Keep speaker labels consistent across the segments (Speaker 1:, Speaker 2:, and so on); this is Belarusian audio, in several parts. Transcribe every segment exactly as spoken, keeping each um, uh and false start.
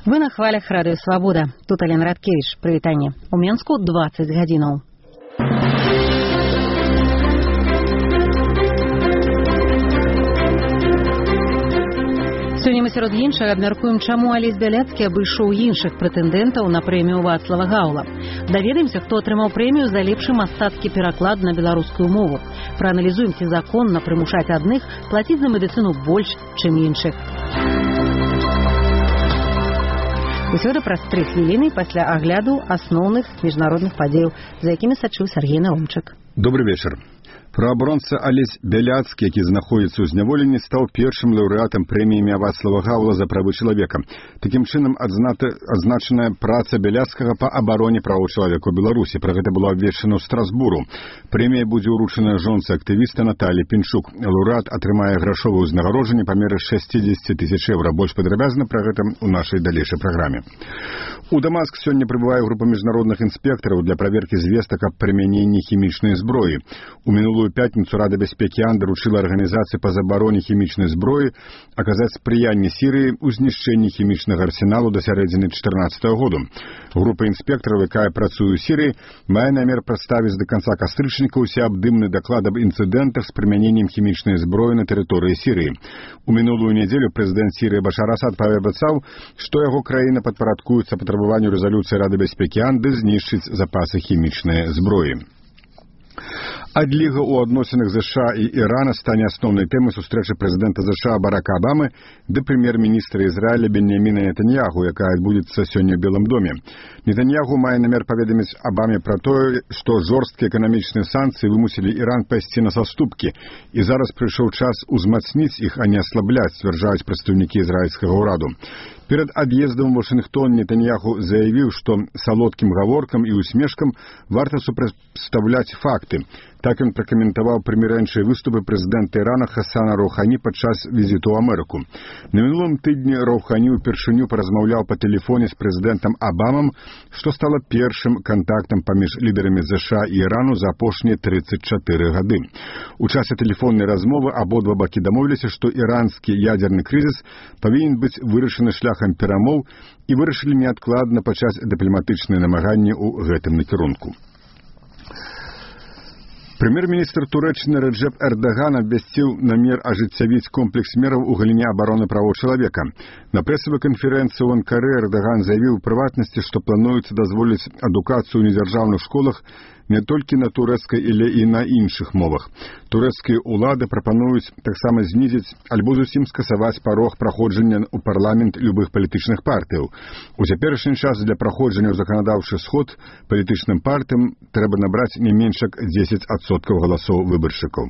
Speaker 1: Вы на хвалях Радыё Свабода. Тут Алена Радкевич. Прывітанне. У Менску дваццаць гадзінаў. Сёння мы сярод іншага абмяркуем, чаму Алесь Бяляцкі абышоў іншых прэтэндэнтаў на прэмію Вацлава Гаўла. Даведаемся, хто атрымаў прэмію за лепшы мастацкі пераклад на беларускую мову. Прааналізуем, ці законна прымушаць адных плаціць за медыцыну больш, чым іншых. Усё гэта праз тры хвіліны пасля агляду асноўных міжнародных падзеяў, за якімі сачыў Сергей Наумчык.
Speaker 2: Добрый вечер. Праабаронца Алесь Бяляцкі, які знаходзіцца ў зняволенні, стаў першым лаўрэатам прэміі імя Вацлава Гаўла за правы чалавека. Такім чынам адзната, адзначаная праца Бяляцкага па абароне правоў чалавека ў Беларусі. Пра гэта было абвешчана ў Страсбуру. Прэмія будзе ўручаная жонцы актывіста Наталі Пінчук. Лаўрэат атрымае грашовае ўзнагароджанне па меры шэсцідзесят тысяч еўра. Больш падрабязна пра гэта ў нашай далейшай праграме. У Дамаск сёння прыбывае група міжнародных інспектараў для праверкі звестак аб прымяненні хімічнай зброі. У мінулую пятніцу Рада бяспекі ООН даручыла арганізацыі па забароне хімічнай зброі аказаць спрыянне Сірыі ў знішчэнні хімічнага арсеналу да сярэдзіны чатырнаццатага году. Група інспектараў, якая працуе ў Сірыі, мае намер прадставіць да канца кастрычніка ўсеабдымны даклад аб інцыдэнтах з прымяненнем хімічнай зброі на тэрыторыі Сірыі. У мінулую нядзелю прэзідэнт Сірыі Башар Асад паабяцаў, што яго краіна падпарадкуецца патрабаванню рэзалюцыі Рады бяспекі ООН ды знішчыць запасы хімічнай зброі. Адліга ў адносінах ЗША і Ірана стане асноўнай тэмай сустрэчы прэзідэнта ЗША Барака Абамы ды прэм'ер-міністра Ізраіля Беньяміна Нетаньяху, якая адбудзецца сёння ў Белым доме. Нетаньяху мае намер паведаміць Абаме пра тое, што жорсткія эканамічныя санкцыі вымусілі Іран пайсці на саступкі, і зараз прыйшоў час узмацніць іх, а не аслабляць, сцвярджаюць прадстаўнікі ізраільскага ўраду. Перад ад'ездам у Вашынгтон Нетаньяху заявіў, што салодкім гаворкам і усмешкам варта супрацьпастаўляць факты. Так ён пракаментаваў прымірэнчыя выступы прэзідэнта Ірана Хасана Роўхані падчас візіту ў Амерыку. На мінулым тыдні Роўхані ўпершыню паразмаўляў па тэлефоне з прэзідэнтам Абамам, што стала першым кантактам паміж лідарамі ЗША і Ірану за апошнія трыццаць чатыры гады. У часе тэлефоннай размовы абодва бакі дамовіліся, што іранскі ядзерны крызіс павінен быць вырашаны шляхам перамоў і вырашылі неадкладна пачаць дыпламатычныя намаганні ў гэтым накірунку. Прэм'ер-міністр Турэччыны Рэджэп Эрдаган абвясціў намер ажыццявіць комплекс мераў у галіне абароны правоў чалавека. На прэсавай канферэнцыі ў Анкары Эрдаган заявіў у прыватнасці, што плануецца дазволіць адукацыю ў недзяржаўных школах не толькі на турэцкай, але і на іншых мовах. Турэцкія ўлады прапануюць таксама знізіць альбо зусім скасаваць парог праходжання ў парламент любых палітычных партыяў. У цяперашні час для праходжання ў заканадаўчы сход палітычным партыям трэба набраць не менш як дзесяць адсоткаў галасоў выбаршчыкаў.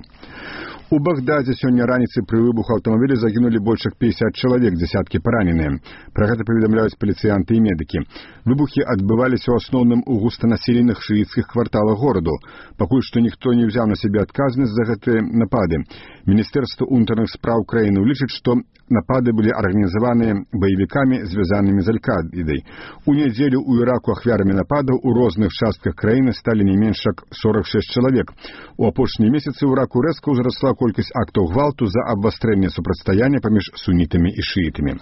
Speaker 2: У Багдадзе сёння раніцай пры выбуху аўтамабіля загінулі больш як пяцьдзясят чалавек, дзесяткі параненыя. Пра гэта паведамляюць паліцыянты і медыкі. Выбухі адбываліся ў асноўным у густанаселеных шыіцкіх кварталах гораду. Пакуль што ніхто не ўзяў на сябе адказнасць за гэтыя напады. Міністэрства ўнутраных спраў краіны лічыць, што напады былі арганізаваныя баевікамі, звязанымі з Аль-Каідай. У нядзелю ў Іраку ахвярамі нападаў у розных частках краіны сталі не менш як сорок шэсць чалавек. У апошнія месяцы ў Іраку рэзка ўзрасла колькасць актаў гвалту за абвастрэнне супрацьстаяння паміж сунітамі і шыітамі.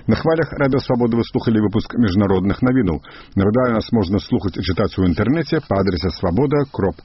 Speaker 2: На хвалях Радыё Свабода вы слухалі выпуск міжнародных навінаў. Нагадаю, нас можна слухаць і чытаць у інтэрнэце па адрасе свабода кропка